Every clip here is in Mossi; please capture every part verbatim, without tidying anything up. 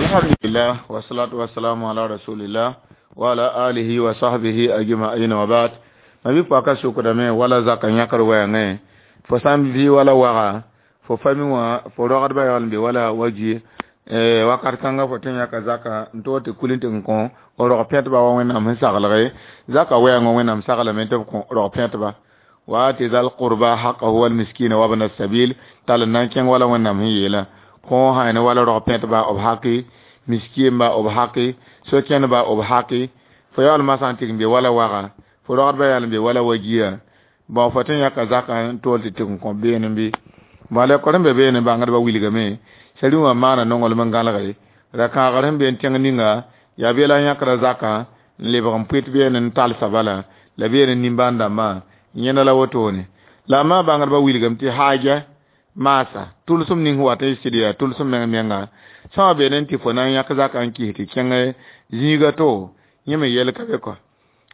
Alhamdulillah wa salatu wa salamu ala rasulillah wa ala alihi wa sahbihi ajma'in wa ba'd. Ma bi paka sukdame wala zaka yãkr wɛɛngẽ fo sã n vɩ wala waga fo fa mi wã fo rogdbã yaool n be wala wa gi wakat kãnga fo tõe n yãka zaka n tog tɩ kul n tɩ n kõ rog pẽtba wa Wẽnnaam sẽn saglge zaka wɛɛngã Wẽnnaam saglame tɩ b kõ rog pẽtba wa ati zal qurba haqqahu wal miskina wa ibn sabil tall n na n kẽng wala Wẽnnaam sẽn yeelã kõ sã ne wala rog pẽtba b haki miskɩemba b haki so-kẽndba b haki fo yaool masã n tɩg n be wala waga fo rogdbã yaool n be wala wa gia bon fo tõe n yãka zaka n tol tɩ tɩg n kõ beene bɩ bala lekor sẽn be beene bãngdbã wilgame sari wã maana nonglem n gãlge ra-kãagr sẽn be n tẽng ninga yaa bela n yãkra zaka n lebg n pʋɩt beene n talsa bala la beene nimbãan dãmbã yẽnda la wotone la a maa bãngdbã wilgame tɩ haaja maasa tʋlsem ning wat n sɩd yaa tʋlsem meng menga sã wã beene n tɩ fo na n yãk zaka n kis tɩ kẽng zĩiga to yẽ me yɛl ka be kɔ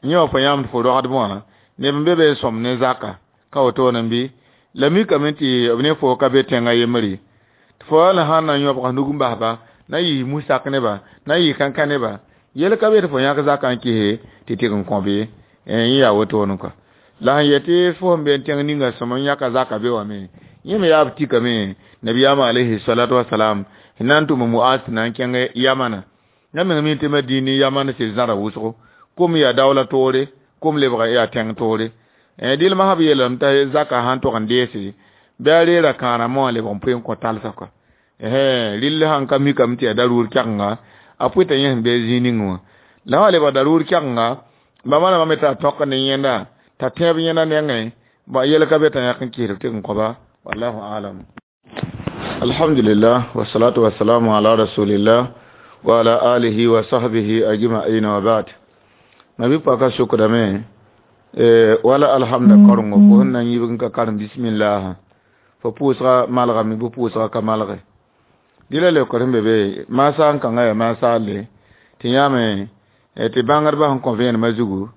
yẽ wã fo yãmd fo rogdb wã neb n be be n sõm ne zaka ka wotone bɩ la mikame tɩ b ne fo ka be tẽngã yembre tɩ fo la sãn na n yõbg nug n basba na yɩ musak neba na yɩ kãnkã neba yel ka be tɩ fo yãk zaka n kise tɩ tɩg n kõ be yẽ yaa wotone kɔ la sẽn yet tɩ fo sẽn be n tẽng ninga sõm n yãka zaka be wã me yẽ me yaa b tikame nabiyaamã alayhi salatu wasalam sẽn na n tʋm Muaz tɩ na n kẽng yamana yã meng mi tɩ Madini yaman sɩd zãra wʋsgo kom yaa daoola toore kom lebga yaa tẽng toore dɩl masã b yeelame t'a zaka sãn tog n deese bɩ a reera kãarã wã lebg n pʋɩ n kõ talsã kɔ rɩll sãn ka mikame tɩ yaa daruur kɛgenga a pʋɩta yẽ sẽn be zĩig ning wã la wã lebga daruur kɛgenga bãmba rãmbã me t'a tõk ne yẽnda t'a tẽeb yẽnda nengẽ bõ yel ka be t'a yãk n kɩsd tɩg n kõba wallahu alam. Alhamdulillah wa salatu wa salamu ala rasulillah wa ala alihi wa sahbihi ajma'in wa ba'd. Ma bi paka sukdame wala alhamda karengo fo sẽn na n yibg n ka karem bismillah fo pʋʋsga malgame bɩ pʋʋsga ka malge dɩla leokr sẽn be be maasa n kãngã yaa maasaale tɩ yãame tɩ bãngdbã sẽn kõ vẽenemã zugu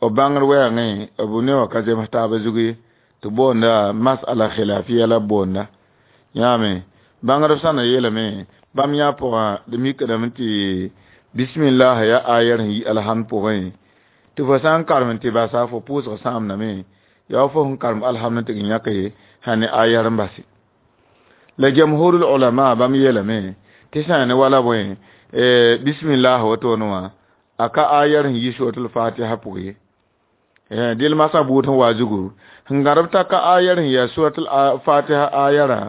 b bãngd wɛɛngẽ b ne wã ka zems taabã zug ye tɩ boonda masala khilafiya la b boonda yãame bãngdb sã na yeelame bãmb yã pʋgã d mikdame tɩ bismillah ya ayar sẽn yi alhamd pʋgẽ tɩ fo sã n karem tɩ basa fo pʋʋsg sãamdame yaa fo sẽn karem alhamd tɩ g yãke sã ne ayar n base la jamhurul ulama bãmb yeelame tɩ sã ne wala bõe bismillah wotone wã a ka ayar sẽn yi suratul fatiha pʋg ye dɩl masã buud sẽn wa zugu sẽn gãdb t'a ka ayar sẽn yaa suratul fatiha ayarã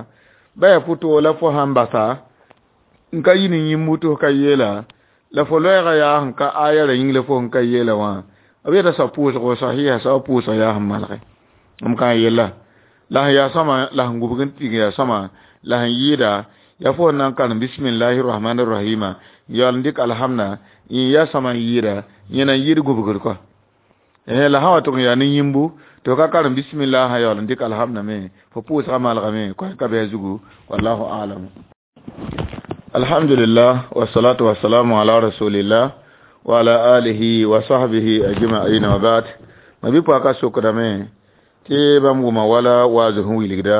ba yaa pʋtoo la fo sãn basa n ka yi ne yĩmbu tɩ f ka yeela la fo loɛɛgã yaa sẽn ka ayarã yĩng la fo sẽn ka yeela wã b yeta soab pʋʋsgo sahiha soab pʋʋsg yaa sẽn malge m ka n yella la sẽn yaa sõma la sẽn gubg n tig yaa sõma la sẽn yɩɩda yaa fo sẽn na n karem bismillahi rahmani rahima yaool n dɩk alhamda n yaa sõma n yɩɩda yẽ na n yɩɩd gubgr kɔ la sã wa tʋg n yaa ne yĩmbu tɩ f ka karem bismillah sã yaool n dɩk alhamda me fo pʋʋsga malgame koɛ ka bɩ a zugu wallahu alam. Alhamdulillah wa salatu wa salamu ala rasulillah wa ala alihi wa sahbihi ajma'in wa ba'd. Ma bi paka sokdame tɩ bãmb wʋma wala waazo sẽn wilgda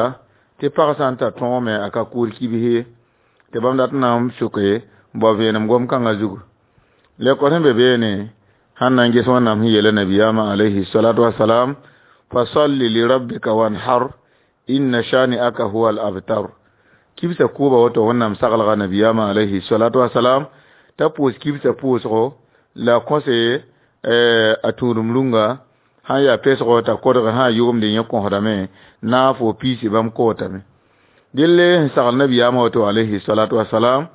tɩ pag sã n tar tõog me a ka kʋʋr kibse tɩ bãmb dat n na n soke n bao vẽenem gom-kãngã zugu lekor sẽn be beene sãn na n ges Wẽnnaam sẽn yeela nabiyaamã alayhi salatu wasalam fasalli li rabbika wanhar inna shani'aka huwa al abtar kibsa kʋʋba woto Wẽnnaam saglga nabiyaamã alayhi salatu wasalam t'a pʋʋs kibsã pʋʋsgo la kõse a tũudum rũnga sãn yaa pesgo t'a kodg sã yʋgemd yẽ kõsdame naafo piisi bãmb kootame dɩlle sẽn sagl nabiyaamã woto alayhi salatu wasalam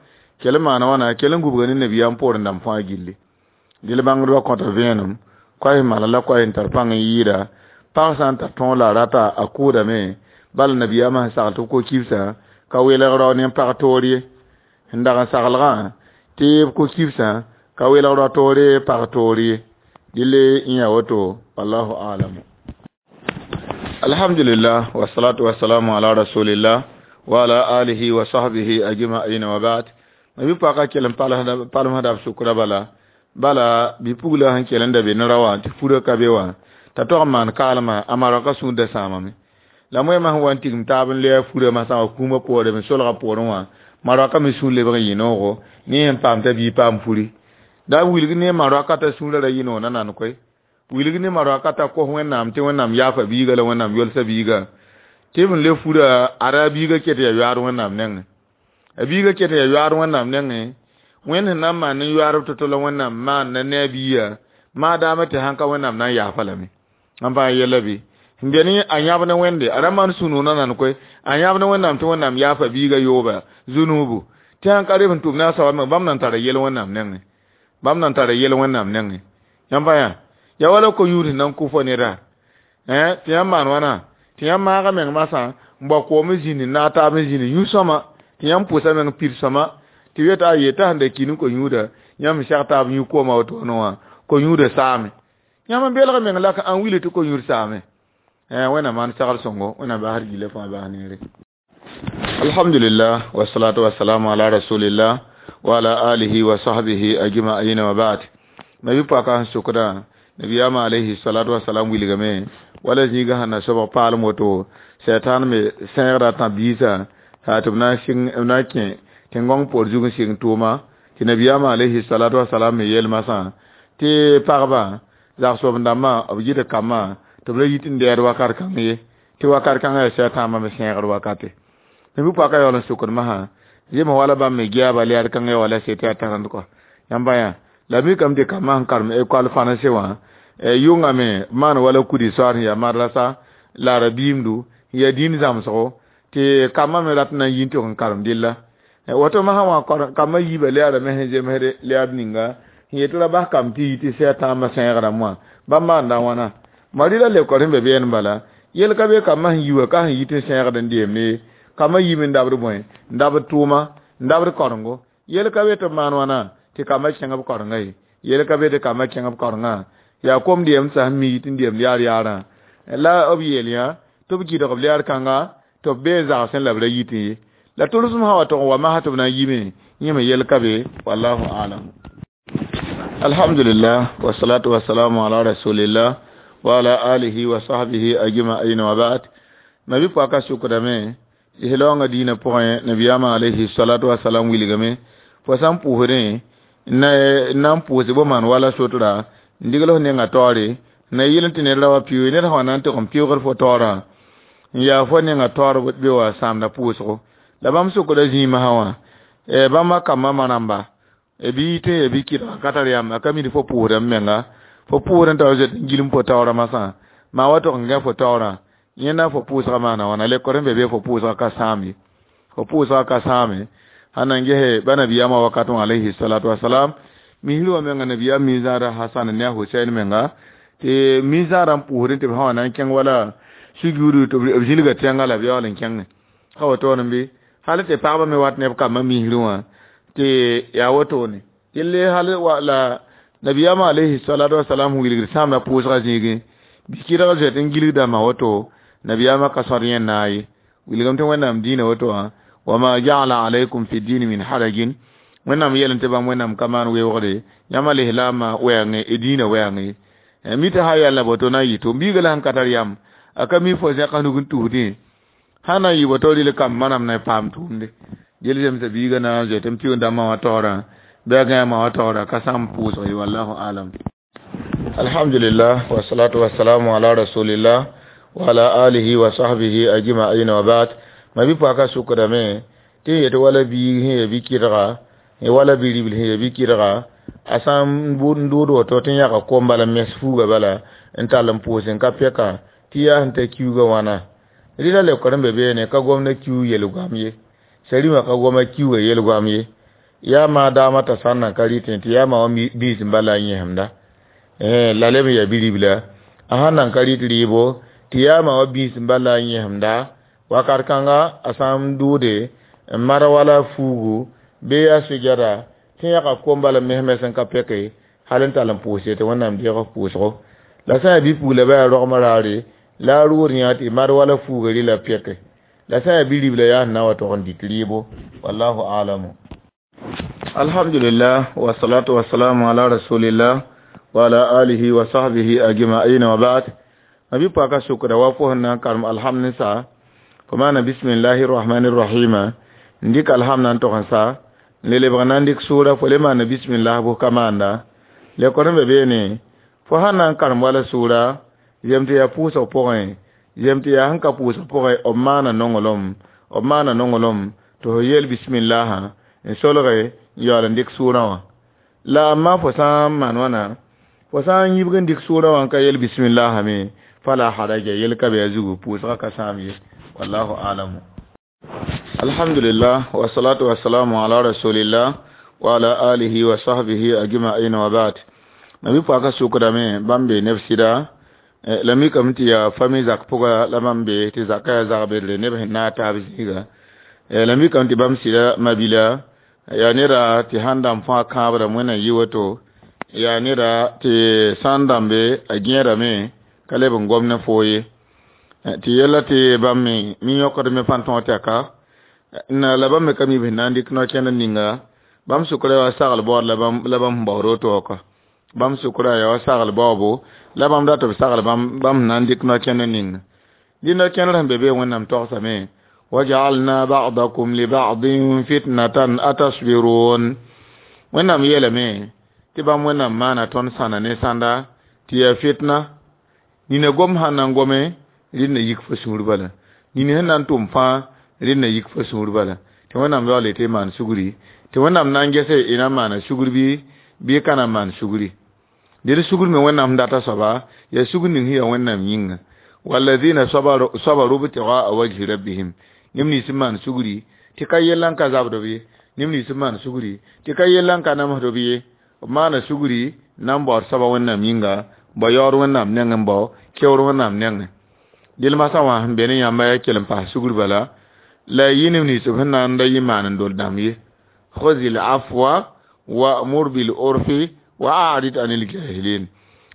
kell n maana wãna kell n gubga ne nabiyaam poorẽ dãmb fãa gilli dɩl bãngdbã kõta vẽenem koɛs mala la koɛs n tar pãng n yɩɩda pag sã n tar tõog la a rata a kʋʋdame bala nabiyaamã sẽn sagl tɩ b ko kibsã ka welg rao ne pag toor ye sẽn dag n saglgã tɩ b ko kibsã ka welg rao toore pag toor ye dɩle n yaa woto wallahu alam. Alhamdulillah wa salatu wa salamu ala rasulillah wa ala alihi wa sahbihi ajma'in wa ba'd. Ma bi paka kell n palmsda b sʋkra bala bala bɩ-pugla sẽn kell n da be ne ra wã tɩ furã ka be wã t'a tog n maan kaalmã a maraka sũur da sãamame la moɛɛmã sẽn wa n tigim taab n lɛɛ furã masã wã kũumã poorẽ me solgã poorẽ wã maraka me sũur lebg n yɩ noogo Ne sẽn paam t'a biig paam furi da wilg ne ma rakata sũurã ra yɩ na nan koe wilg ne ma rakata kos wẽnnaam tɩ wẽnnaam yaafa biiga la wẽnnaam yolsa biiga tɩ b le fura ara biiga ket ya yoaad wẽnnaam nengẽ a biiga ket ya yoaad wẽnnaam nengẽ wẽnd sẽn na n maan ne yoaadb to-to la wẽnnaam maan na ne a biiga maadaama tɩ sãn ka wẽnnaam na n yaafa lame n pa yɛla bɩ n be ne a yãb ne wẽnde a ra maan sũ-noog na nan koe a yãb ne wẽnnaam tɩ wẽnnaam yaafa biiga yooba zunuubu tɩ sãn ka reb n tʋm ne a soab me bãmb nan tara yel wẽnnaam nengẽ bãmb nan tara yel wẽnnaam nengẽ yãmb pa yã ya wala ko-yũud sẽn na n kʋ fo neda tɩ yãmb maan wãna tɩ yãmb maaga meng masã n bao koom n zĩnd n naag taab n zĩnd yũ sõma tɩ yãmb pʋsa meng pid sõma tɩ yeta a yeta sẽn da ki ne ko-yũuda yãmb seg taab yũ kooma wotone wã ko-yũuda saame yãmb n belg meng la n wilg tɩ ko-yũud saame wẽnnaam maan sagl sõngo wẽnnaam basd gila fãa bas neere alhamdulillah wassalatu wassalamu ala rasulillah wa ala alihi wa sahbihi ajma'in wa ba'd nabi paka sẽn sokda nabiyama alayhi salatu wassalam wilgame wala zĩiga sẽn na sobg paalem woto sɛtan me sẽegda tã biisã tɩ b na n sɩng b na n kẽ tẽn-gõng poor zug n sɩng tʋʋma tɩ nabiyama alayhi salatu wassalam me yeel masã tɩ pagba zag-soab-dãmbã b gɩd kambã tɩ b ra yit n dɛɛd wakat kãng ye tɩ wakat kãngã yaa sɛtãambã me sẽegd wakate nabi paka yaool n sokd masã zemã wala bãmb me geaba lɛɛd kãngã ya wala sete yaa tarẽnd kɔ yãmba yã la mikame tɩ kambã sẽn karem école fãnse wã yʋngame maan wala kudi soaad sẽn yaa madrasa la a ra biimdu n yaa dĩin zãmsgo tɩ kambã me rat n na n yi n tʋg n karem dɩlla woto masã wã kambã yiibã lɛɛrame sẽn zemsd lɛɛd ninga sẽn yet ra bas kamb tɩ yi tɩ sɛ tãambã sẽegrã wã bãmb maanda wãna marɩ la lekor sẽn be beene bala yel ka be kambã sẽn yi wã ka sẽn yit n sẽegd n deemd ye kambã yime n dabd bõe n dabd tʋʋma n dabd korengo yel ka be tɩ b maan wãna tɩ kambã kẽng b korenga ye yel ka be tɩ kambã kẽng b korengã yaa kom deemd sã sẽn mi yit n deemd yaar yaarã la b yeel yã tɩ b kɩdg b lɛɛr kãnga tɩ b bee zagsẽ la b ra yitẽ ye la tʋlsem sã wa tʋg n wa masã tɩ b na n yime yẽ me yel ka be wallahu alam alhamdulillah wassalatu wassalamu ala rasulillah wa ala alihi wa sahbihi ajma'in wa ba'd nabi paka sukdame islaangã diinã pʋgẽ nabiyaamã alayhi salatu wasalam wilgame fo sã n pʋʋsdẽ n na n pʋʋs bo maan wala sotra n digl f nenga taoore na yɩl tɩ ned ra wa pɩʋʋg ned sã wa na n tʋg n pɩʋʋgd fo taoorã n yaa fo nenga taoor be wa sãamda pʋʋsgo la bãmb sokda zĩig masã wã bãmba kambã ma-rãmba b yitẽ ya bɩ kɩdga ka tar yam a ka mid fo pʋʋsda m menga fo pʋʋsd n tao zoet n gilm fo taoorã masã maa wa tʋg n gã fo taoorã yẽnda fo pʋʋsga maana wãna lekor sẽn be be fo pʋʋsga ka sãam ye fo pʋʋsga ka sãame sãn na n gese ba nabiyaamã wakat wã alayhi salatu wasalam misr wã menga nabiyaam mi-zãada hasan ne a husain menga tɩ mi-zãadã n pʋʋsdẽ tɩ b sã wa na n kẽng wala sujuudu tɩ b zĩlga tẽngã la b yaool n kẽnge ka wotone bɩ hal tɩ pagba me wat ne b kambã misr wã tɩ yaa wotone yelle hal wa la nabiyaamã alayhi salatu wasalam wilgd sãamda pʋʋsga zĩigẽ bɩ kɩdg zoet n gilgdãmbã woto nabiyaamã ka sõd yẽ naag ye wilgame tɩ wẽnnaam dĩinã woto wã wama ja'ala alaykum fi dini min harajin wẽnnaam yɛl tɩ bãmb wẽnnaam ka maan weoogde yãmb alislaamã wɛɛngẽ y dĩinã wɛɛngẽ mi tɩ sã yɛl la boto na n yɩ to biiga la sẽn ka tar yam a ka mi fo zẽka nug n tusdẽ sã na n yɩ boto rɩl kamb manam na paam tʋʋmde gel zemsa biiga na n zoet n pɩʋʋg dãmbã wã taoorã bɩ a gãama wã taoorã ka sãam pʋʋsg ye wallahu alam alhamdulillah wassalatu wassalamu ala rasulillah wa ala alihi wa sahbihi ajma'in wa ba'd ma bi paka sukdame tɩ n yet wala biig sẽn ya bi-kɩdga wala bi-ribl sẽn ya bi-kɩdga a sã n dʋʋd woto tɩ n yãga kom bala mes fuuga bala n tall n pʋʋs n ka pɛka tɩ yaa sẽn ta kiuugã wãna rɩla lekor n be beene ka gomda kiuug yel-goam ye sarima ka goma kiuugã yel-goam ye yaa maa daamã t'a sã n nan ka rɩtẽ tɩ yaa ma wã biis n bala n yẽsemda la leb n yaa bi-ribla a sãn nan ka rɩt rɩɩbo tɩ yaa ma wã biis n bala n yẽsemda wakat kãnga a sã n dʋʋde n mad wala fuugu bɩ yaa sujada tɩ yãga kom bala mes mes n ka pɛke hal n tall n pʋʋse tɩ wẽnnaam deeg f pʋʋsgo la sã yaa bi-pugla ba yaa rogmã raare la a rʋʋd yã tɩ mad wala fuuga rɩla pɛke la sã yaa bi-ribla yaa sẽn na wa tʋg n dɩk rɩɩbo wallahu alamu alhamdulillah wassalatu wassalamu ala rasulillah wa ala alihi wa sahbihi ajma'in wa ba'd mabi paka sukra wa fo na karm alhamdulillah fo maana bismillahi rahmani rahima n dɩk alhamdã n tog n sa Le lebg na n dɩk sʋʋra fo le maana bismillah bʋ ka maanda lekor n be beene fo sãn na n karem wala sʋʋra yem tɩ yaa pʋʋsg pʋgẽ yem tɩ yaa sẽn ka pʋʋsg pʋgẽ b maana nonglem b maana nonglem tɩ fo yeel bismillahã n solge n yaool n dɩk sʋʋrã wã la amma fo sã n maan wãna fo sã n yibg n dɩk sʋʋrã wã n ka yeel bismillahã me fala haraja yel ka be a zugu pʋʋsgã ka sãam ye wallahu alamu alhamdulillah wasalatu wasalamu ala rasulillah wa ala alihi wa sahbihi ajma'in wa ba'd nabi paka sukdame bãmb be neb sɩda la mikame tɩ yaa fami zak pʋga la bãmb be tɩ zakã yaa zag-bedre neb sẽn naag taab zĩiga la mikame tɩ bãmb sɩda mabila yaa neda tɩ sãn dãmb fãa kãabra wẽnna yɩ woto yaa neda tɩ sã n dãmbe a gẽedame ka leb n gom ne foo ye tɩ yella tɩ bãmb me mi yõkdme fãn tõog tɛka la bãmb me ka mi b sẽn na n dɩk no-kẽnd ninga bãmb sʋkra yaa sagl baood la bãmb sẽn baood woto wã bãmb sʋkra yaa wa sagl baoobo la bãmb dat b sagl bãmb sẽn na n dɩk no-kẽnd ninga dɩ no-kẽndr sẽn be be wẽnnaam togsame waj'alna ba'dakum li ba'din fitnatan atasbirun wẽnnaam yeelame tɩ bãmb wẽnnaam maana tõnd sãna ne sãnda tɩ yaa fitna nina gom sãn na n gome rɩd na yik fo sũur bala nina sẽn na n tʋm fãa rɩd na yik fo sũur bala tɩ wẽnnaam yaool tɩ y maan sugri tɩ wẽnnaam na n gese y na n maana sugr bɩ bɩ ka na n maan sugri dɩd sugr me wẽnnaam sẽn data soaba yaa sugr ning sẽn yaa wẽnnaam yĩnga walladina sabaru ibtigaa wajhi rabbihim neb nins n maan sugri tɩ ka yella n ka zabd b ye neb nins n maan sugri tɩ ka yella n ka namsd b ye b maana sugri na n baood soaba wẽnnaam yĩnga bao yaood wẽnnaam nengẽ n bao keoor wẽnnaam nengẽ dɩl masã wã sẽn be ne yãmba yaa kell n paas sugr bala la yɩ neb nins b sẽn na n da yɩ maan n dol dãmb ye khuzil afwa wa'mur bil urfi wa a'rid anil jahilin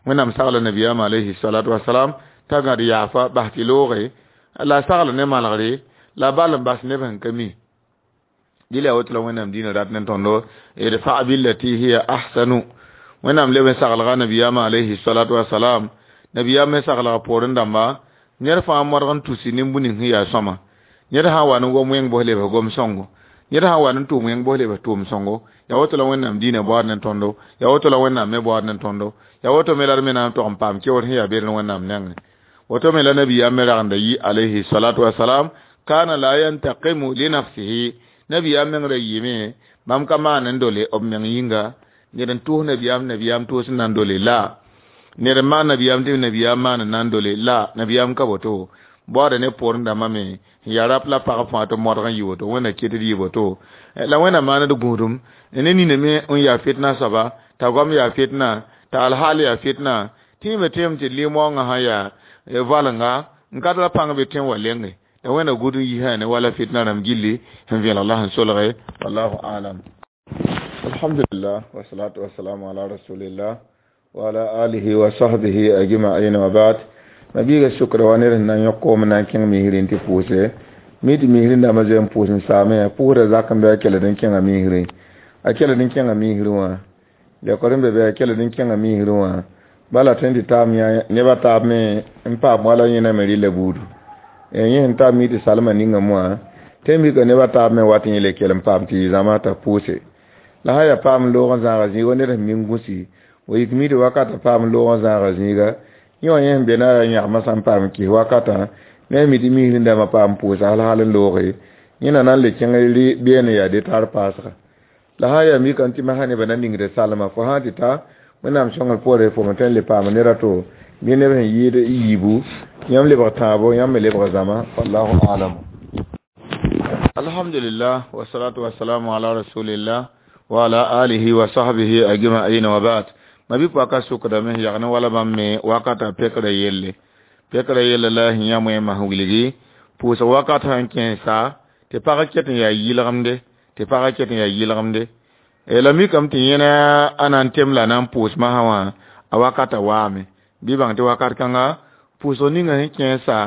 wẽnnaam sagla nabiyaam alayhi salatu wasalam t'a gãd yaafa bas tɩ looge la a sagl ne malgre la bal n bas neb sẽn ka mi dɩl yaa woto la wẽnnaam dĩinã rat ne tõndo idfa billati hiya ahsanu wẽnnaam leb n saglga nabiyaam alayhi salatu wasalam nabiyaam me saglga poorẽ dãmba ned fãa modg n tusi nin-bũ ning sẽn yaa sõma ned sã n wa ne gom wẽng bos lebs gom sõngo ned sã n wa ne tʋʋm wẽng bos lebs tʋʋm sõngo yaa woto la wẽnnaam dĩinã baood ne tõndo yaa woto la wẽnnaam me baood ne tõndo yaa woto me la d me na n tog n paam keoor sẽn yaa beed wẽnnaam nengẽ woto me la nabiyaam me ragenda yi alayhi salatu wasalam kana la yantaqimu li nafsihi nabiyaam meng ra yɩɩme bãmb ka maan n dole b meng yĩnga ned n tʋʋs nabiyaam nabiyaam tʋʋs n na n dole la ned n maan nabiyaam tɩ nabiyaam maan n na n dole la nabiyaam ka woto baoodã ne poorẽ dãmbã me n yaa rap la pag fãa tɩ modg n yɩ woto wẽnna ket d yɩ woto la wẽnnaam maand gũudum ne nina me n yaa fitna soaba t'a goam yaa fitna t'a alhaal yaa fitna tɩ me tẽem tɩ limõongã sã yaa valenga n ka tara pãng be tẽ wa lenge la wẽnna gũud n yisã ne wala fitna rãmb gilli sẽn vẽelg la sẽn solge wallahu alam alhamdulillah wasalatu wasalamu ala rasulillah wa ala alihi wa sahbihi ajma'in wa ba'd mabiiga sʋkra wa ned sẽn na n yõk koom na n kẽng misrẽ tɩ pʋʋse mi tɩ misrẽ dãmbã zoe n pʋʋs n saame pʋʋsda zak n bɩ a keled n kẽnga misrẽ a keled n kẽnga misrẽ wã lekor n be bɩ a keled n kẽnga misrẽ wã bala tõe n tɩ taam nebã taab me n paam wala yẽna me rɩla buudu yẽ sẽn taab mi tɩ salmã ninga moã tɩ mika nebã taab me wat yẽ le kell n paam tɩ yɩ zãma t'a pʋʋse la sã yaa paam loog n zãaga zĩiga ned sẽn mi n gũsi wa yik mi tɩ wakatã paam loog n zãaga zĩiga yẽ wã yẽ sẽn be na yaa yãgmã sã n paam kis wakatã ne mi tɩ misrẽ dãmbã paam pʋʋsa hal hal n looge yẽna na n le kẽng beene yaa de tar paasga la sã yaa mikame tɩ masã nebã na ningda salma fo sã tɩ ta wẽnnaam sõngr poore fo me tõe n le paam ned a to bɩ neb sẽn yɩɩd yiibu yãmb lebg tãabo yãmb me lebg zãma wallahu alam alhamdulillah wasalatu wasalamu ala rasulillah wa ala alihi wa sahbihi ajma'in wa ba'd mabi paka sʋkdame yag ne wala bãmb me wakata pekra yelle pekra yelle la sẽn yã moẽmã sẽn wilgi pʋʋsg wakat sãn kẽesa tɩ pag ket n yaa yɩlgemde tɩ pag ket n yaa yɩlgemde la mikame tɩ yẽna a na n tem la na n pʋʋs masã wã a wakata waame bɩ bãng tɩ wakat kãnga pʋʋsg ninga sẽn kẽesa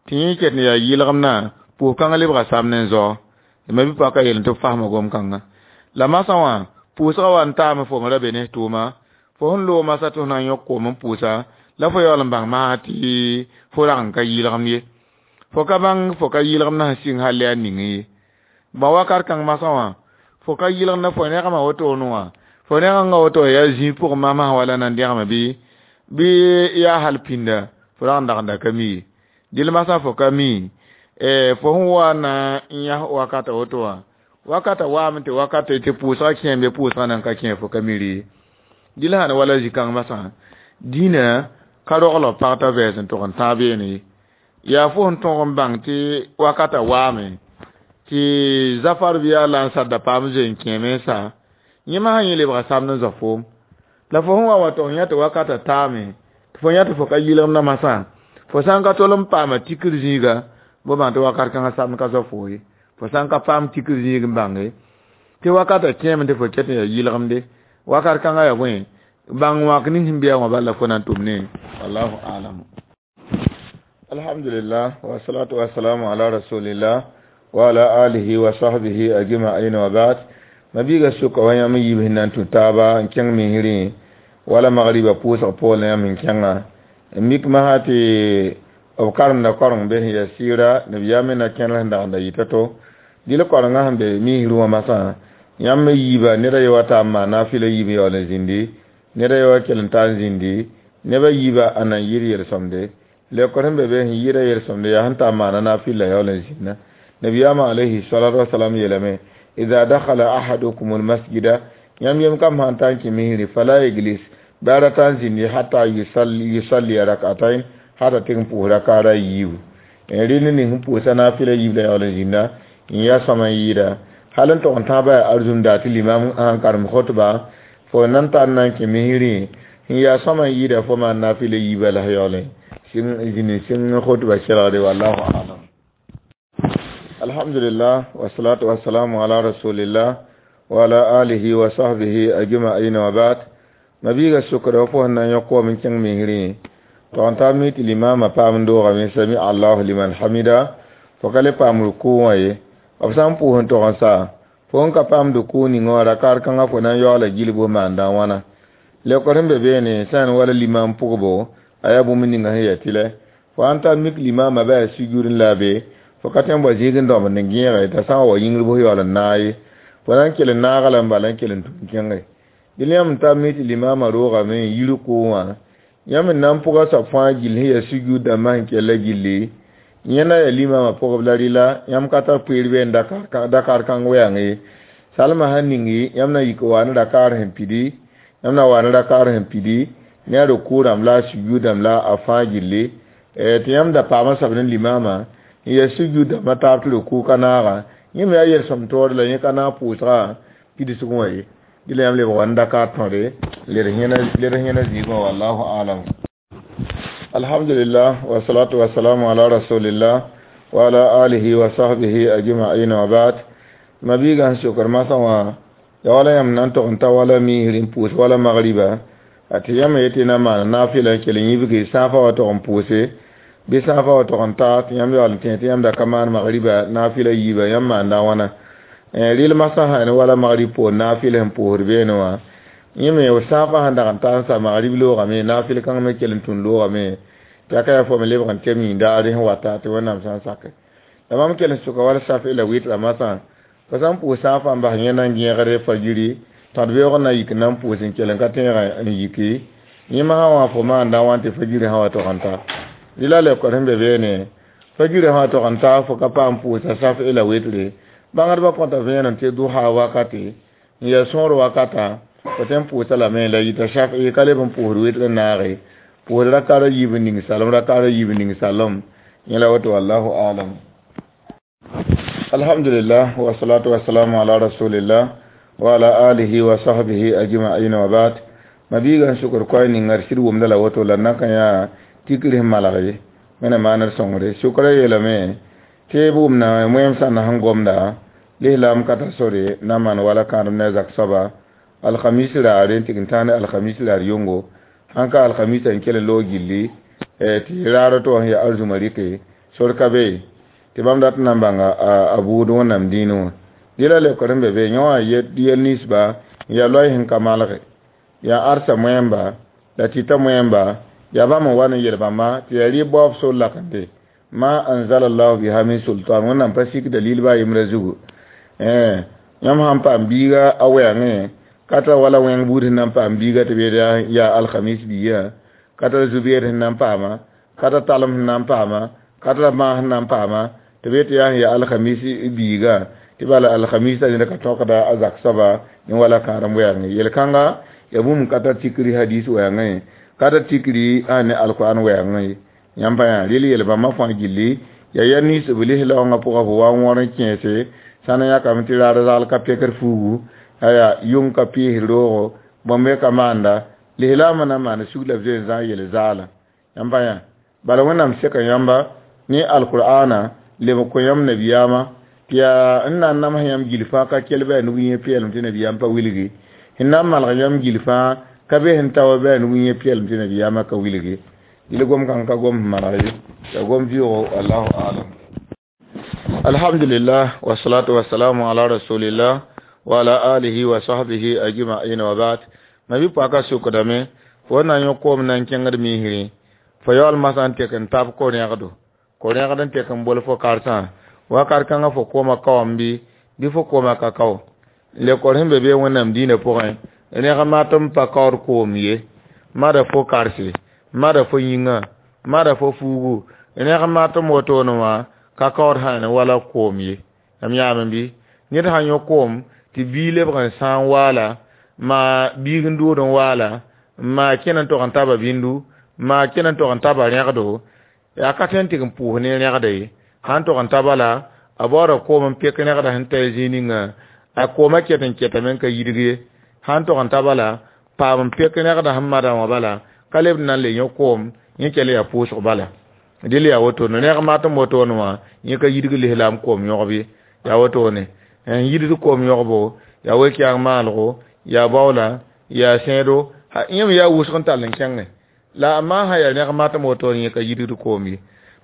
tɩ yẽ ket n yaa yɩlgemdã pʋʋs kãngã lebga samd n zao ma bɩ paka yel tɩ b fasma gom kãnga la masã wã pʋʋsgã wa n taame fo me ra be ne tʋʋma fo sẽn loog masã tɩ f na n yõk koom n pʋʋsa la fo yaool n bãng masã tɩ fo rag n ka yɩlgemd ye fo ka bãng fo ka yɩlgemd sẽn sɩng hal yaa ning ye bã wakat kãng masã wã Fo ka yɩlgd fo rẽgma woto wã fo rẽgengã woto yaa zĩig pʋgẽ masmas wala nan dẽgme bɩ bɩ yaa hal pĩnda fo rag n dagenda ka mi ye dɩl masã fo ka mi fo sẽn wa na n yãs wakata woto wã wakata waame tɩ wakata tɩ pʋʋsgã kẽem bɩ pʋʋsgã nan ka kẽ fo ka mi rɩ dɩl sãn wala zĩ-kãng masã dĩinã ka rogl b pag t'a vɛɛs n tʋg n tãag beene ye yaa fo sẽn tõg n bãng tɩ wakata waame tɩ zafar bɩ yaa lansar da paam zoe n kẽeme n sa yẽ masã yẽ lebga samd n zao foom la fo sẽn wa wa tʋg n yã tɩ wakata taame tɩ fo yã tɩ fo ka yɩlgemdã masã fo sã n ka tol n paama tikr zĩiga bo bãng tɩ wakat kãngã samd ka zao fo ye fo sã n ka paam tikr zĩig n bãnge tɩ wakata kẽeme tɩ fo ket n yaa yɩlgemde wakat kãngã yaa bõe bãng wãk ning sẽn bɩa wã bala fo na n tʋm ne wallahu alam. Alhamdulillah wa salatu wa salamu ala rasulillah wa ala alihi wa sahbihi ajma'in wa ba'd. Mabiiga sʋka wa yãmb yiib sẽn na n tũ taaba n kẽng misrẽ wala magriba pʋʋsg poorẽ la yãmb n kẽnga n mik masã tɩ b karemda koreng be sẽn yaa sɩɩra nabiyaam me na kẽner sẽn dagenda yɩta to dɩl korengã sẽn be misrẽ wã masã yãmb me yiiba ned a ye wa ta n maan naafɩla yiib n yaool n zĩndi ned a ye wa kell n ta n zĩndi neb a yiiba a nan yɩr yel-sõmde leokr sẽn be be sẽn yɩɩra yel-sõmde yaa sẽn ta n maana naafɩla yaool n zĩnda nabiyaamã alayhi salatu wasalam yeelame idha dakhala ahadukum almasjida yãmb yem kam sãn ta n kẽ misri fala yeglis bɩ a rata n zĩndi hata yusalli rak'atain hata tɩ n pʋʋs rakaara yiibu rẽnd ning sẽn pʋʋsa naafɩla yiib la yaool n zĩnda n yaa sõma n yɩɩda hal n tog n tãabã yaa arzũmda tɩ limam sãn karem khutba fo nan tar na n kẽ misrẽ n yaa sõma n yɩɩda fo maan naafɩla yiiba la yaool n zĩnd sɩng khutba kelgde wallahu alam. Alhamdulillah wa salatu wa salamu ala rasulillah wa ala alihi wa sahbihi ajma'in wa ba'd. Mabiiga sʋkda fo sẽn na n yõk koom n kẽng misrẽ tog n taa mi tɩ limama paam n doogame sami allahu liman hamida fo ka le paam rukʋ wã ye b sã n pʋʋs n tog n sa fo n ka paam rukʋ ning wã rakaar kãngã fo na n yaoola gilg b maanda wãna leokr sẽn be beene sã n wala limam pʋgbo a yaa bũmb ninga sẽn yaa tɩlɛ fo sãn tar mik limama bɩ a sugr n la a be fo ka tõe n bao zĩig n dõmd n gẽege t'a sã n wa yĩngr bʋs yaool n naag ye fo na n kell n naaga la n bala n kell n tũm kẽnge dɩl yãmb n tar mi tɩ limama roogame n yi rukʋ wã yãmb n na n pʋga soab fãa gill sẽn yaa sugr dãmbã sẽn kella gilli yẽnda yaa limama pʋgb la rɩla yãmb ka tar poeer bɩ n dakar kãng wɛɛng ye salmã sãn ningi yãmb na yik wa ne rakaar sẽn pidi yãmb na wa ne rakaar sẽn pidi ne a rukʋ rãmb la a sugr dãmb la a fãa gilli tɩ yãmb da paama soab ne limama n yaa sugr dãmbã taab tɩ rukʋ ka naaga yẽ me yaa yel-sõm toore la yẽ ka naag pʋʋsga pidsg wã ye dɩla yãmb lebg wa n dakar tõre led yẽna zĩig wã wallahu alam. Alhamdulillah wa salatu wa salamu ala rasulillah wa ala alihi wa sahbihi ajma'in wa ba'd. Mabiiga sẽn sokr masã wã ya wala yãmb na n tog n ta wala misr n pʋʋs wala magriba a tɩ yãmb yetɩ na maan naafɩla n kell n yibge sãafã wa tog n pʋʋse bɩ sãafã wa tog n ta tɩ yãmb yaool n tẽ tɩ yãmb da ka maan magriba naafɩla yiiba yãmb maanda wãna rɩl masã sã ne wala magrib poor naafɩl sẽn pʋʋsd beene wã yẽ me sãafã sẽn dag n ta n sa magrib loogame naafɩl kãng me kell n tũn loogame tɩ a ka yaa fo me lebg n tɩ m yĩndaare sẽn wata tɩ Wẽnnaam sã n sake la mam kell n sʋka wala safi la wɩtra masã fo sã n pʋʋs sãafã n bas yẽ na n gẽegre fajiri tõd beoog na yik na n pʋʋs n kell n ka tẽegã n yiki yẽ masã wã fo maanda wã tɩ fajiri sã wa tog n ta rɩla leokr sẽn be beene fajiri sã wa tog n ta fo ka paam pʋʋsa safi la wɩtre bãngdbã kõta vẽenem tɩ duha wakate n yaa sõor wakata fo tõe n pʋʋsa lame la yita shafi ka leb n pʋʋsd wɩtr n naage pʋʋsd rakaara yiib n ning salem rakaara yiib n ning salem yẽ la woto wallahu alam. Alhamdulillah wa salatu wa salamu ala rasulillah wa ala alihi wa sahbihi ajma'in wa ba'd. Mabiiga n sʋkr koɛɛ ninga d sɩd wʋmda la woto la na n ka yã tikr sẽn malg ye wẽna maanr sõngre sʋkrã yeelame tɩ b wʋmda wẽem sãnda sẽn gomda lislaam ka tar sore na maan wala kãadem ne a zak soaba alhamis raare n tɩg n tãag ne alhamis raar yʋngo sãn ka alhamisa n kell n loog gilli tɩ raar to sẽn yaa arzũma rɩke sor ka be tɩ bãmb dat n na n bãnga a buud Wẽnnaam dĩinẽ wã dɩla leokr sẽn be be yẽ wã yel ninsba n yaa loɛɛ sẽn ka malge yaa arsa moẽmba la tɩta moẽmba yaa bãmb n wa n yel bãmba tɩ yaa rɩ baoob sor lakende ma anzalallahu biha min sultan Wẽnnaam pa sik dalil ba a yembrã zugu Yãmb sãn paam biiga a wɛɛngẽ, ka tara wala wẽng buud sẽn na n paam biiga tɩ b yet yaa alhamis biiga, ka tara zubeer sẽn na n paama, ka tara talem sẽn na n paama, ka tara bãag sẽn na n paama, tɩ b yet tɩ yaa sẽn yaa alhamis biiga, tɩ bala alhamis ned ka tõkda a zak soaba ne wala kãadem wɛɛngẽ. Yel-kãnga yaa bũmb ka tar tikri hadis wɛɛngẽ, ka tar tikri a ne alkur'an wɛɛngẽ. Yãmb pa yã rɩl yel-bãmbã fãa gilli yaa ya nins b lislaoongã pʋgã fo wa n wõr n kẽese sã n yãkame tɩ raar zagl ka pekr fuugu, aya yʋng ka pɩɩs roogo, bõmb ka maanda lislaambã na n maana sug la b zoe n zãg yel zaala. Yãmb pa yã bala Wẽnnaam seka yãmba ne alkur'aana leb n kõ yãmb nabiyaamã tɩ yaa n na n nams yãmb gil fãa ka kell bɩ a nug yẽ peelem tɩ nabiyaam pa wilgi, sẽn na n malg yãmb gil fãa ka be sẽn ta wa bɩ a nug yẽ peelem tɩ nabiyaamã ka wilgi. Dɩl gom kãng ka gom sẽn maneg ye, yaa gom vɩʋʋgo, wallahu alam. Alhamdulillah wassalatu wassalamu ala rasulillah wa ala alihi wa sahbihi ajma'in wa ba'd. Ma bi paka sukdame fo na yõ koom na n kẽngd misrẽ, fo yaool masã n tek n tab ko-rẽgdo, ko-rẽgd n tek n bol fo karsã wakat kãngã fo koomã kaoam bɩ bɩ fo koomã ka kao. Lekor sẽn be be Wẽnnaam dĩinã pʋgẽ, rẽg mat n pa kaood koom ye, mada fo karse, mada fo yĩngã, mada fo fuugu, rẽg mat n wotone wã ka kaood sã wala koom ye. Yãmb yãame bɩ ned sã yõ koom tɩ bii lebg n sã n waala, maa biig n dʋʋd n waala, maa kẽn n tog n taba bĩndu, maa kẽn n tog n taba rẽgdo, yaa ka tõe n tɩg n pʋʋs ne rẽgda ye. Sãn tog n taba la a baooda koom n pek rẽgda sẽn ta zĩig ninga, a koomã ket n ketame n ka yidg ye. Sãn tog n taba la paam n pek rẽgda sẽn madã wã bala, ka leb n na n le yõ koom, yẽ kell yaa pʋʋsg bala. Dɩl yaa wotone, rẽg mat n wotone wã yẽ ka yidg lislaam koom yõgb ye. Yaa wotone n yidg koom yõgbo, yaa we-kɛɛng maalgo, yaa baoola, yaa sẽedo, yẽ me yaa wʋsg n tall n kẽngẽ. La a maa sã yaa rẽg mat n wotone yẽ ka yidgd koom ye.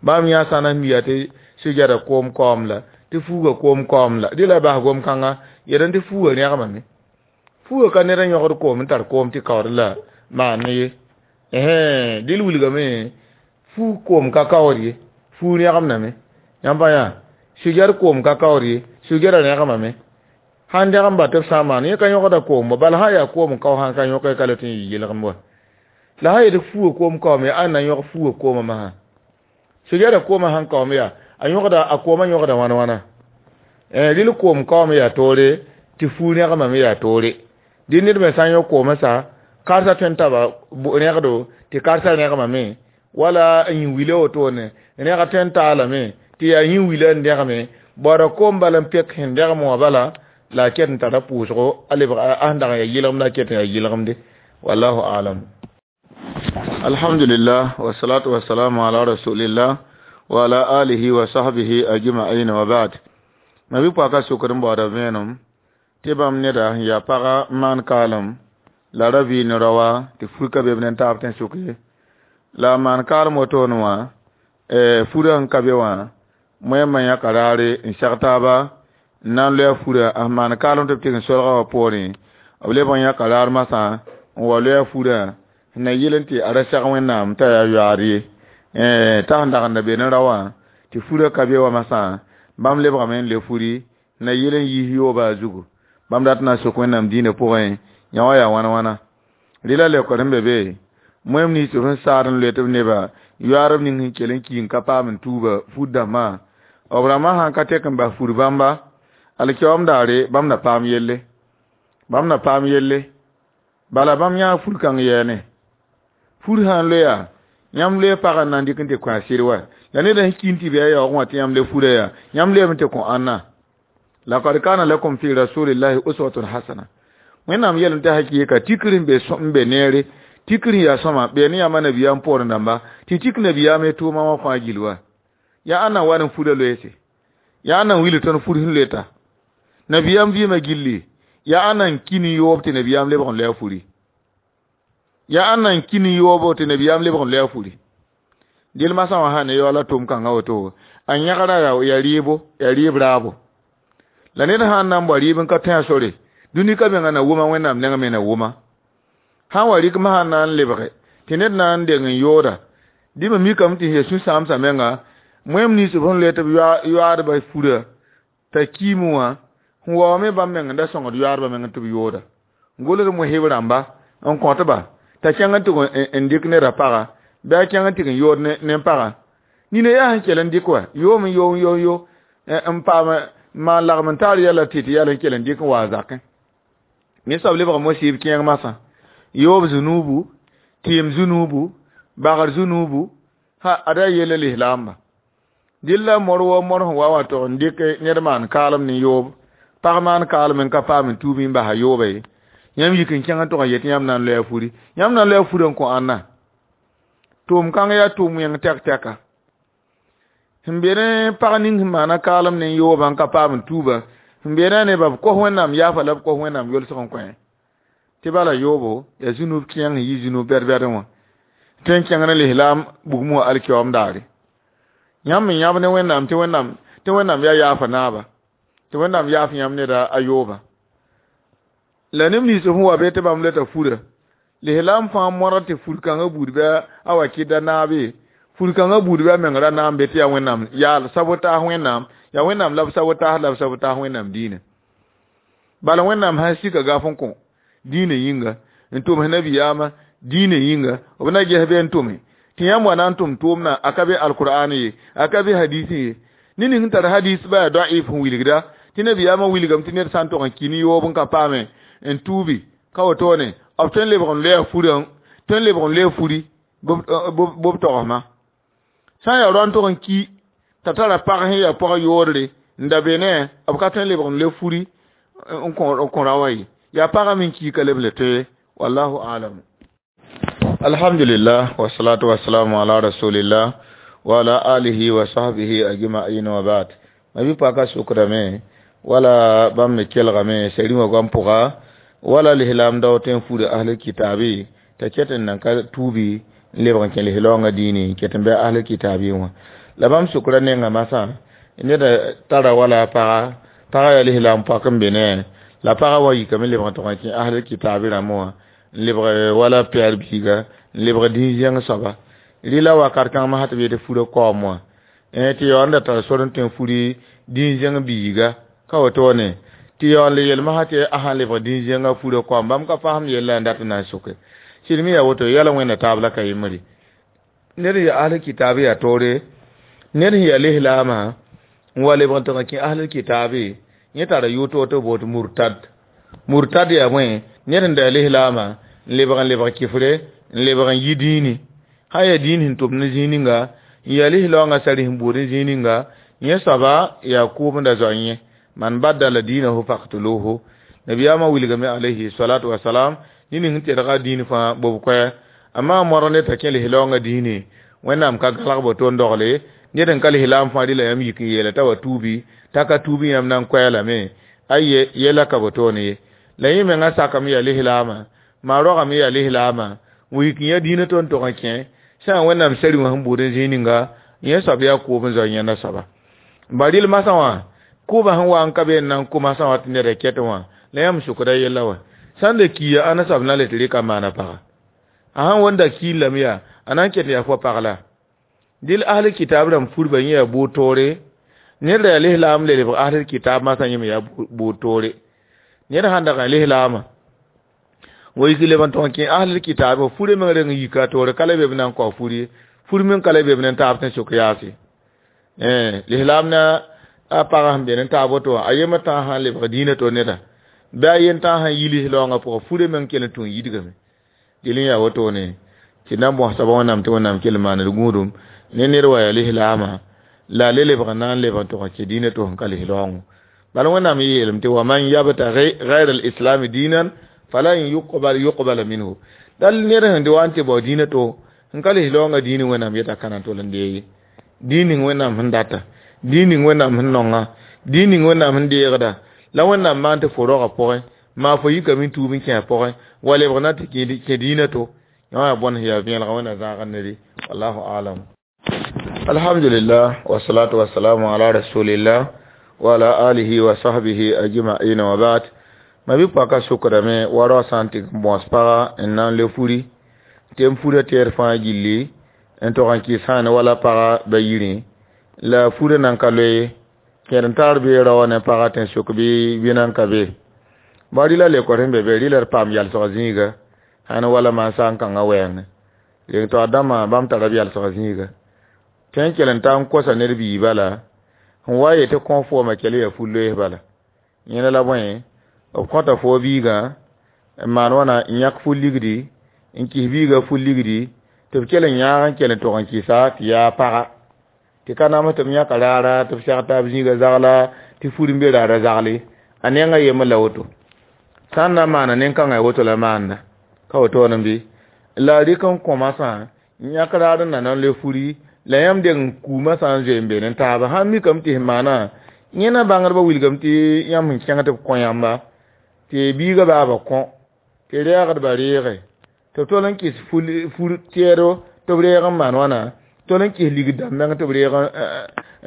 Bãmb yã sã n miya tɩ sujada koom kaoom la, tɩ fuuga koom kaoom la, dɩ la bas gom kãnga yed tɩ fuuga rẽgmame. Fuuga ka ned n yõgd koom n tar koom tɩ kaood la maan ye. Ɛhɛn dɩl wilgame fuug koom ka kaood ye, fuug rẽgemdame. Yãmb pa yã sugɛr koom ka kaood ye, sugɛra rẽgemame. Sãn dẽgem ba tɩ b sã n maan yẽ ka yõgda koom wa, bala sã n yaa koom n kao sã n ka yõk ka le tɩ n yɩ yelgem wa. La sã yet fuuga koom kaoome yaa ãnna n yõg fuuga koomã masã. Sugɛra koomã sãn kaoome yaa a yõgda a koomã yõgda wãn wãna. Rɩl koom kaoome yaa toore tɩ fuug rẽgemame yaa toore. Dɩ ned me sã n yõ koomã sa karsa tõe n taba rẽgdo tɩ karsa rẽgemame, wala n yĩ wila wotone rẽg tõe n taalame tɩ yaa yĩ wila n dẽgeme, baooda koom bala n pek sẽn dẽgem wã bala la a ket n tara pʋʋsgo a lebg a sẽn dag n yaa yɩlgemd la a ket n yaa yɩlgemde. Wallahu alam. Alhamdulillah wassalatu wassalamu ala rasulillah wa ala alihi wa sahbihi ajma'in wa ba'd. Ma bi paka sukr n baooda vẽenem tɩ bãmb neda sẽn yaa paga n maan kaalem la ra vɩɩ ne raoa tɩ fur ka be b ne taab tẽ sʋk ye. La a maan kaalem wotone wã furã sẽn ka be wã moẽmã yãka raare n seg taaba n na n loe a furã a sẽn maan kaalem tɩ b tɩg n solga wã poorẽ, b leb n yãka raar masã n wa loe a furã sẽn na yɩl n tɩ a ra seg Wẽnnaam t'a yaa yoaad ye. T'a sẽn dag n da be ne raoã tɩ furã ka be wã masã bãmb lebgame n le furi na yɩl n yiis yooba a zugu. Bãmb dat n na n sok Wẽnnaam dĩinã pʋgẽ yã wã yaa wãn wãna. Rɩla leokd sẽn be be moẽm nins tɩ b sẽn saad n loe tɩ b neba yoaadb ning sẽn kell n ki n ka paam n tuuba fur dãmbã, b rãmbã sãn ka tek n bas fur bãmba alkiyoom daare bãmb na paam yelle, bãmb na paam yelle. Bala bãmb yãag fur kãng yɛɛne. Fur sã n loeya yãmb loe pagã n na n dɩk n tɩ kõ a sɩd wa, la ned sẽn ki n tɩ bɩ a yaoog wã tɩ yãmb le furã yaa yãmb leem n tɩ kõ ãnna. Laqad kana lakum fi rasulillahi uswatun hasana. Wẽnnaam yeelame tɩ hakɩɩka tikr n be n be neere, tikr n yaa sõma bee ne yãmba nabiyaam poorẽ dãmba tɩ tik nabiyaam ye tʋʋma wã fãa gill wa. Yaa ãnna n wa n furã loeese, yaa ãnna n wilg tõnd fur sẽn loeta. Nabiyaam vɩɩmã gilli, yaa ãnna n ki ne yoob tɩ nabiyaam lebg n loe a furi. Yaa ãnna n ki ne yoobo tɩ nabiyaam lebg n loe a furi. Dɩl masã wã sã ne yaoola tʋʋm kãngã woto, a yẽgra yaa rɩɩbo, yaa rɩɩb raabo. La ned sã n na n bao rɩɩb n ka tõe a sore, dũni ka menga na wʋma Wẽnnaam nengẽ me na wʋma. Sã n wa rɩk masã na n lebge tɩ ned na n deng n yooda, dɩ me mikame tɩ sẽn sũ-sãamsã menga moẽm nins b sẽn loe tɩ b yoaadbã furã t'a kiime wã Sẽn waoome bãmb meng n da sõngd yoaadbã meng tɩ b yooda. N gʋls mosb rãmba n kõtba t'a kẽng n tʋg n dɩk neda paga bɩ a kẽng n tɩg n yood ne pagã. Nina yaa sẽn kell n dɩk wa yoom n yo n yo n yo n paam maan lagem n taar yɛla tɩ tɩ yɛl n kell n dɩk n wa a zakẽ. Ninsab lebg mosɩɩb kẽeng masã yoob zunuubu tɩɩm zunuubu bagr zunuubu ha ada yella lislaamba. Dɩl la mor wa mor sẽn wa wã tog n dɩk ned maan kaalem ne yoob pag maan kaalem n ka paam n tuub n basa yooba ye. Yãmb yik n kẽng n tog n yet yãmb na n loe a furi yãmb na n loe a furã n kõ ãnna tʋʋm kãng yaa tʋʋm wẽng tɛk-tɛka. Sẽn be ne pag ning sẽn maana kaalem ne yoobã n ka paam n tuuba sẽn be ne a nebã b kos Wẽnnaam yaafa la b kos Wẽnnaam yolsg n kõ tɩ bala yoobo yaa zũnub kẽeng sẽn yi zũnub bɛd-bɛdẽ wã tõe n kẽng ne lislaam bugum wã alkiyoom daare. Yãmb me yãb ne Wẽnnaam tɩ Wẽnnaam tɩ Wẽnnaam yaa yaafa naaba tɩ Wẽnnaam yaaf yãmb neda a yooba. La neb nins sẽn wa be tɩ bãmb leta fura lislaam fãa modg tɩ fur kãngã buud bɩ a wa kɩda naabe fur kãngã buud bɩ a meng ra naam be tɩ yaa Wẽnnaam yaa sabotaas Wẽnnaam yaa Wẽnnaam la b sabotaas la b sabotaas Wẽnnaam diinã. Bala Wẽnnaam sã sika gaf n kõ diinã yĩnga n tʋms nabiyaamã diinã yĩnga b na ges be n tʋme tɩ yãmb wa na n tʋm tʋʋmdã a ka be alkur'an ye a ka be hadis ye ne ning sẽn tar hadis ba yaa da'if sẽn wilgda tɩ nabiyaamã wilgame tɩ ned sã n tog n ki ne yoob n ka paame n tuubi ka wotone b tõe n lebg n loe a furã tõe n lebg n loe furi b togsma sã n yaa rao n tog n ki t'a tara pag sẽn yaa pag yoodre n da be ne b ka tõe n lebg n loe furi n kõ ra wã ye yaa pagã me n ki ka leb le tõe wallahu alam. Alhamdulillah wassalatu wassalamu ala rasulillah wa ala alihi wa sahbihi ajma'in wa ba'd. Mabi paka sukrame wala bãmb me kelgame sari wã goam pʋga wala lislaam dao tõe n fuda ahlul kitabi t'a ket n nan ka tuubi n lebg n kẽ lislaoongã diine ket n bɩ ahlul kitabi wã. La bãmb sʋkra nenga masã neda tara wala paga paga yaa lislaam pɔk n be ne la paga wã yikame lebg n tog n kẽ ahlul kitabi rãmb wã n lebg wala pɛɛr biiga n lebg dĩn-zẽng soaba rɩla wakat kãng masã tɩ b yetɩ fura kaoom wã tɩ yaool n da tar sor n tõe n furi dĩn-zẽng biiga ka wotone tɩ yaool le yel masã tɩ a sãn lebg dĩn-zẽngã fura kaoom bãmb ka fasem yella n dat n na n soke sɩd me yaa woto yɛla wẽnna taab la ka yembre ned yaa ahlul kitaab yaa toore ned sẽn yaa lislaamã n wa lebg n tɩg n kẽ ahlul kitaabe yẽ tara yʋ to boot murtad murtad yaa bõe ned sẽn da yaa lislaamã n lebg n lebg kɩfre n lebg n yi dĩini sã yaa dĩin sẽn tʋm ne zĩig ninga n yaa lislaoongã sari sẽn buud n zĩig ninga yẽ soaba yaa kʋʋm n da zoa yẽ man baddala dinahu faqtuluhu nabiyaamã wilgame alayhi salatu wasalam ne ning sẽn tedga dĩin fãa bob koɛɛ amma modg ned t'a kẽ lislaoongã dĩine Wẽnnaam ka galg bo to n dogle ned n ka lislaam fãa rɩla yãmb yik n yeela t'a wa tuubi t'a ka tuubi yãmb na n koɛɛlame aye yɛla ka bo toone ye la yẽ mengã sakame yaa lislaamã maa rogame yaa lislaamã n yik n yã dĩinã to n tog n kẽ sã n Wẽnnaam sari wã sẽn buud n zĩig ninga yẽ soab yaa kʋʋb n zao yẽnda soaba ba rɩl masã wã kʋʋbã sẽn wa n ka be n na n kʋ masã wã tɩ neda ket wã la yãmb sʋkda yella wã sã n da kiya ãnda soab na le tɩ rɩka maana paga a sãn wẽnda kiil lame yaa a na n ket yaa fo pag la dɩl ahlul kitab rãmb furba yẽ yaa buud toore ned ra yaa lislaam le lebg ahlul kitab masã yẽ me yaa buud toore ned sãn dag n lislaamã wa yik leb n tog n kẽ ahlul kitab furã meng reng n yika toore ka la be b na n kao fur ye fur meng ka la be b ne taab tɩ sʋk yaase lislaam na a pagã sẽn be ne taab woto wã a yembr tãag sã n lebg dĩinã to neda bɩ a yen tãag sẽn yi lislaoongã pʋgã furã meng kell n tũ n yidgame dɩl n yaa wotone tɩ na n bõs soaba Wẽnnaam tɩ Wẽnnaam kell n maand d gũudum ne ned wa yaa lislaamã la a le lebg n na n lebg n tog n kẽ dĩinã to sẽn ka lislaoongõ bala Wẽnnaam yeelame tɩ wa man yabtaghi ghayra al-islam diinan falan yuqbal yuqbala minhu dal ned sẽn wa n tɩ bao dĩinã to n ka lislaoongã dĩinã Wẽnnaam yeta ka na n tol n dee ye dĩin ning Wẽnnaam sẽn data dĩin ning Wẽnnaam sẽn nonga dĩin ning Wẽnnaam sẽn deegda la Wẽnnaam maan tɩ fo roagã pʋgẽ maa fo yikame n tuub n kẽ a pʋgẽ wa lebg na tɩ kẽ dĩinã to yã wã yaa bõn sẽn yaa vẽelga Wẽnna zãagr nede wallahu alam. Alhamdulillah wassalatu wassalamu ala rasulillah wa ala alihi wa sahbihi ajma'in wa ba'd. Mabi paka sʋkdame wa rao sã n tɩ n bõs paga n na n le furi tɩ n fura tɛɛr fãa gilli n tog n kɩs sãane wala paga ba yirẽ la furã nan ka loe Kẽed n tar bee rao ne pagã tẽn-sʋk bɩ wẽna n ka be. Ba rɩla lekor sẽn be be rɩla d paam yalsg zĩiga sãn wala mansã n kãngã wɛɛngẽ. Reng to a dãmbã bãmb tara b yalsg zĩiga. Tõe n kell n ta n kosa ned bii bala sẽn wa yetɩ kõ fooma kell yaa fu-loees bala. Yẽnda la bõe b kõta fo biigã n maan wãna n yãk fu-ligdi n kis biigã fu-ligdi tɩ b kell n yãag n kell n tog n kɩsa tɩ yaa paga tɩ ka nams tɩ b yãka raara tɩ b seg taab zĩiga zagla tɩ fur n be raara zagle a nengã yembr la woto sã n na n maana nen-kãngã woto la maanda ka wotone bɩ la a rɩk n kõ masã n yãk raar n na n le furi la yãmb deng n kuumã sã n zoe n be ne taaba sãn mikame tɩ sẽn maana yẽna bãngdbã wilgame tɩ yãmb sẽn kẽng tɩ b kõ yãmba tɩ biigã baaba kõ tɩ reegdbã reege tɩ b tol n kɩs fur tɛɛdo tɩ b reeg n maan wãna tol n kɩs ligd dãmb meng tɩ b reeg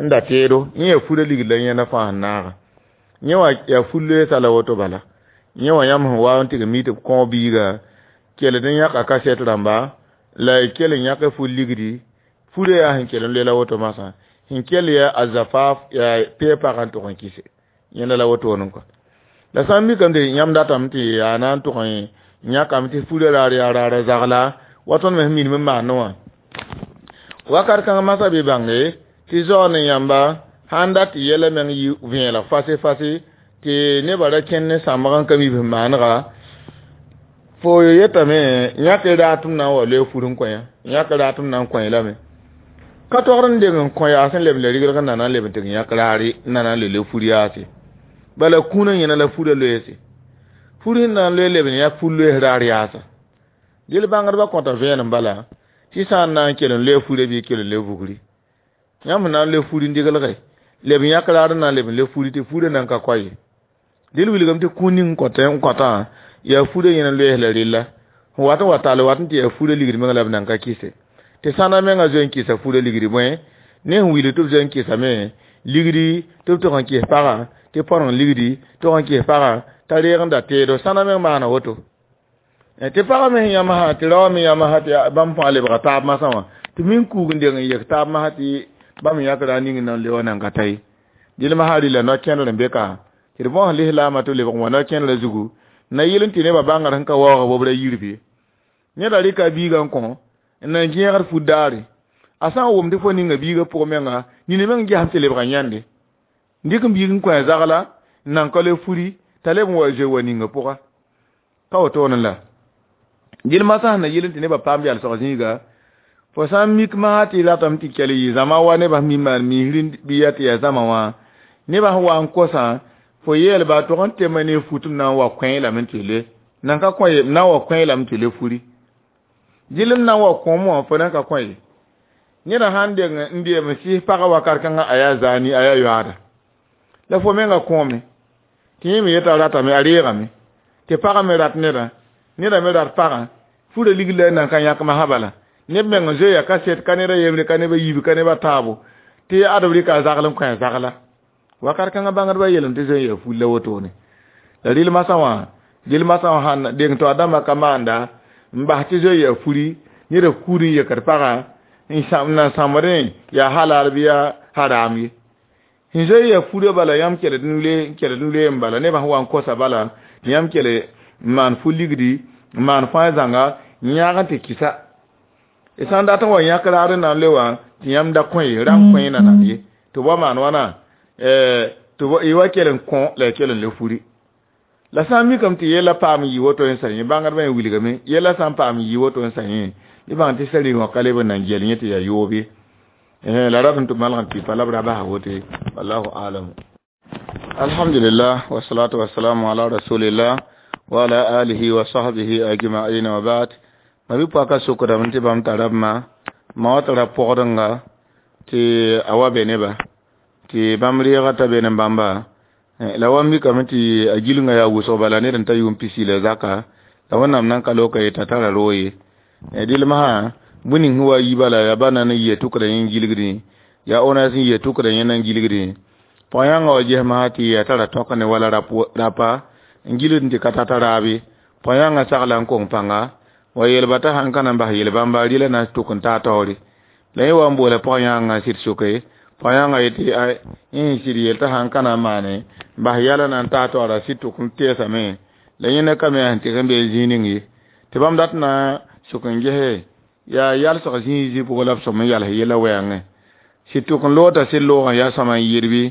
n da teedo yẽ yaa furã ligd la yẽnda fãa sẽn naaga yẽ wã yaa fur-loeesã la woto bala yẽ wã yãmb sẽn wa n tɩg n mi tɩ b kõ biiga kell n yãka kasɛt rãmba la y kell n yãk fur ligdi furã yaa sẽn kell n loe la woto masã sẽn kell yaa a zafaaf yaa peepag n tʋg n kɩse yẽnda la wotone kɔ la sã n mikame tɩ yãmb datame tɩ yaa na n tʋg n yãkame tɩ furã raar yaa raara zagla wa tõnd me sẽn minim n maandẽ wã wakat kãng masã bɩ bãnge tɩ zaoor ne yãmba sãn dat tɩ yɛla meng yɩ vẽelg fase fase tɩ nebã ra kẽnd ne sãmbg n ka mi b maanega fo yetame yãk raatem na n wa loe fur n kõ yã yãk raatem na n kõ lame ka togd n deng n kõ yaas n leb la rigrg n na n leb n tɩg yãk raare n na n le le fur yaase bala kũunã yẽna la furã loeese fur sẽn na n loe leb n yãk fur loees raar yaasa dɩl bãngdbã kõta vẽenem bala tɩ sã n na n kell n loe furã bɩ kell n le vugri yãmb sẽn na n loe fur n diglge leb n yãk raar n na n leb n le furi tɩ furã nan ka koa ye dɩl wilgame tɩ kũun ning n kõtã yaa furã yẽna loees la rella sẽn wat n wa tall wat n tɩ yaa furã ligd meng la b nan ka kɩse tɩ sãna menga zoe n kɩsa furã ligdi bõe ne sẽn wilg tɩ b zoe n kɩsame ligdi tɩ b tʋg n kɩs pagã tɩ põreng ligdi tʋg n kɩs pagã t'a reeg n da teedo sãna meng maana woto tɩ pagã me sẽn yãmb sã tɩ raoã me yãmb sã tɩ bãmb fãa lebga taab masã wã tɩ min kuug n deng n yek taab masã tɩ bãmb yãk ra ning n na n le wã nan ka ta ye dɩl masã rɩla no-kẽndr n be ka tɩ d bõs lislaamã tɩ b lebg n wa no-kẽndrã zugu na yɩl n tɩ nebã bãngr sẽn ka waoog bobra yir bɩ neda rɩka a biigã n kõ n na n gẽegd fut daare a sã n wʋm tɩ fo ninga biigã pʋgẽ menga nina meng gesem tɩ lebga yãnde n dɩk n biig n kõ a zagla n nan ka le furi t'a leb n wa zoe wa ninga pʋga ka wotone la dɩl masã sẽn na yɩl n tɩ nebã paam yalsg zĩiga fo sã n mik masã tɩ ratame tɩ kell yɩ zãma wa nebã sẽn mi maan misri bɩ yaa tɩ yaa zãma wã nebã sẽn wa n kosã fo yeelba tʋg n tema ne fut m na n wa kõ lame tɩ le nan ka kõ ye m na n wa kõ lame tɩ le furi dɩl n na n wa kõom wã fo nan ka kõ ye neda sãn deng n deem n sɩs pagã wakat kãngã a yaa zaani a yaa yoaada la fo menga kõome tɩ yẽ me yeta ratame a reegame tɩ pagã me rat nedã neda me rat pagã furã ligd la nan ka yãk masã bala neb meng n zoeya kaset ka neda yembre ka neba yiib ka neba taabo tɩ ad b rɩka a zagl n kõ a zagla wakat kãngã bãngdbã yeelame tɩ zoe n yaa ful la wotone la rɩl masã wã dɩl masã wã sãn deng tɩ a dãmbã ka maanda n bas tɩ zoe yaa furi neda kuud n yekd pagã n nan sãmbdẽ yaa halal bɩ yaa haram ye sẽn zoe yaa furã bala yãmb keled n loe keled n loe n bala nebã sẽn wa n kosa bala tɩ yãmb kele n maan fu-ligdi n maan fãa zãnga n yãag n tɩ kɩsa y sã n dat n wa yãk raar n na n le wã tɩ yãmb da kõ ye ra n kõ na nan ye tɩ b wa maan wãna tɩ y wa kell n kõ la y kell n le furi la sã n mikame tɩ yella paam n yɩ woto n sa yẽ bãngdbã yẽ wilgame yella sã n paam n yɩ woto n sa yẽ bɩ bãng tɩ sari wã ka leb n na n gel yẽ tɩ yaa yoob ye la rat n tɩ malg n tɩ pa la b ra basa woto ye wallahu alam alhamdulillah wasalatu wasalamu ala rasulillah wa ala alihi wa sahbihi ajma'in wa ba'd ma bɩ paka sokdame tɩ bãmb tara b ma ma wa tara pɔgdenga tɩ a wa be neba tɩ bãmb reega t'a be ne bãmba la wa mikame tɩ a gilngã yaa wʋsg bala ned n ta yʋʋm pisi la zaka la wẽnnaam nan ka loka yeta tara roog ye dɩl masã bũmb ning sẽn wa yi bala yaa ba na n yɩa tʋkda yẽ n gilgdẽ yaa ona sẽn yɩa tʋkda yẽ na n gilgdẽ pɔg-yãngã wa ges masã tɩ yaa tara tõk ne wala rapa n gilgd tɩ ka tata raabe pɔg-yãngã sagla n kong pãnga wa yeelba t'a sãn ka na n bas yel-bãmba rɩla na n tʋk n taa taoore la yẽ wa n boola pɔg-yãngã n sɩd soke Pɔg-yãngã yetɩ ay yẽ sɩd yel t'a sãn ka na n maane bas yɛla na n taa taoora sɩd tʋk n teesame la yẽnda ka me yaa sẽn tɩg n bee zĩig ning ye tɩ bãmb dat na sʋk n gese yaa yalsg zĩig zĩ pʋgẽ la b sõm n yals yella wɛɛngẽ sɩd tʋk n loota sɩd loogã yaa sõma n yɩɩd bɩ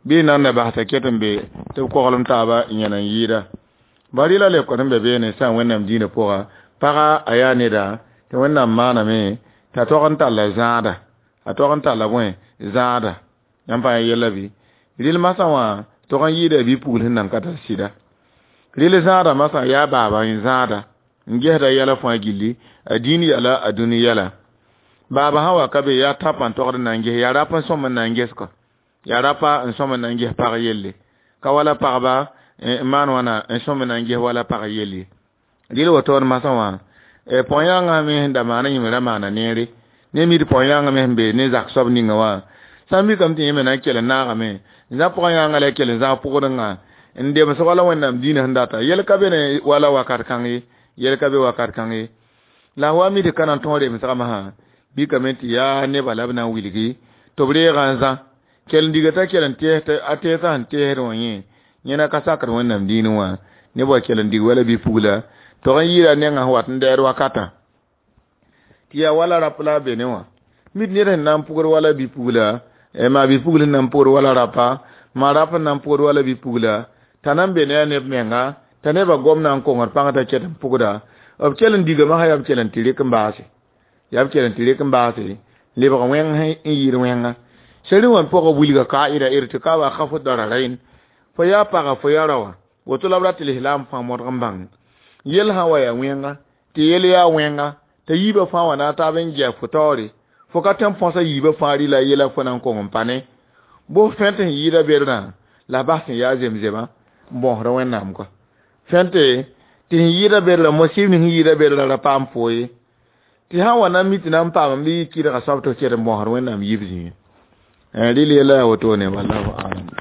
bɩ n nan da bas t'a ket n be tɩ b koglem taaba n yẽl n yɩɩda bari la leokd n be beene sã n wẽnnaam dĩinã pʋga paga a yaa neda tɩ wẽnnaam maaname t'a tog n talla zãada a tog n talla bõe zãada yãmb pa yella bɩ rɩl masã wã tog n yɩɩda bi-pugl sẽn nan ka tar sɩda rɩl zãada masã yaa baaba n zãada n gesda yɛla fãa gilli a dĩin yɛla a dũni yɛla baaba sã wa ka be yaa tãpã n togd n na n ges yaa rap n sõm n na n ges kɔ yaa rapa n sõm n na n ges pag yelle ka wala pagba n maan wãna n sõm n na n ges wala pag yelle rɩl wotoor masã wã pɔg-yãngã me sẽn da maana yĩng ra maana neere ne mi tɩ pɔg-yãngã me sẽn be ne zak soab ninga wã sã n mikame tɩ yẽ me na n kell n naagame n zã pɔg-yãngã la kell n zãag pʋgdengã n dems wala wẽnnaam dĩinã sẽn data yel ka be ne wala wakat kãng ye yel ka be wakat kãng ye la wa mi tɩ ka na n tõog remsgã masã mikame tɩ yaa nebã la b na n wilgi tɩ b reegã n zã kell n diga t'a kell n tees a teesã sẽn teesd wã yẽ yẽna ka sakd wẽnnaam dĩinẽ wã neb wa kell n dig wala bi-pugla tog n yɩɩra nengã sẽn wat n dɛɛd wakatã tɩ yaa wala rap la a be ne wã mid ned sẽn na n pʋgd wala bi-pugla maa bi-pugl sẽn na n pʋgd wala rapa maa rap n na n pʋgd wala bi-pugla t'a na n be ne a neb menga t'a nebã gom na n kongd pãng t'a ket n pʋgda b kell n digame sã yaa b kell n tɩ rɩk n baase yaa b kell n tɩ rɩk n baase lebg wẽng n yɩɩd wẽnga seri wã pʋgã wilga kaida irtikaba khafu dararain fo yaa paga fo yaa raoã woto la b rat tɩ lislaam fãa modg n bãng yel sã wa yaa wẽnga tɩ yel yaa wẽnga t'a yiibã fãa wa na a taab n gɛɛ fo taoore fo ka tõe n põsa yiibã fãa rɩla yela fo na n kong n pa ne bʋ fẽnt sẽn yɩɩda bedrã la bas sẽn yaa zemzemã n bõosd wẽnnaam kɔ fẽnte tɩ sẽn yɩɩda bedrã mosɩb ning sẽn yɩɩda bedrã ra paam fo ye tɩ sã n wa na n mi tɩ na n paam bɩ yɩ kɩdga soab tɩ f ket n bõosd wẽnnaam yib zĩig rɩl yella yaa wotone wallahu alam.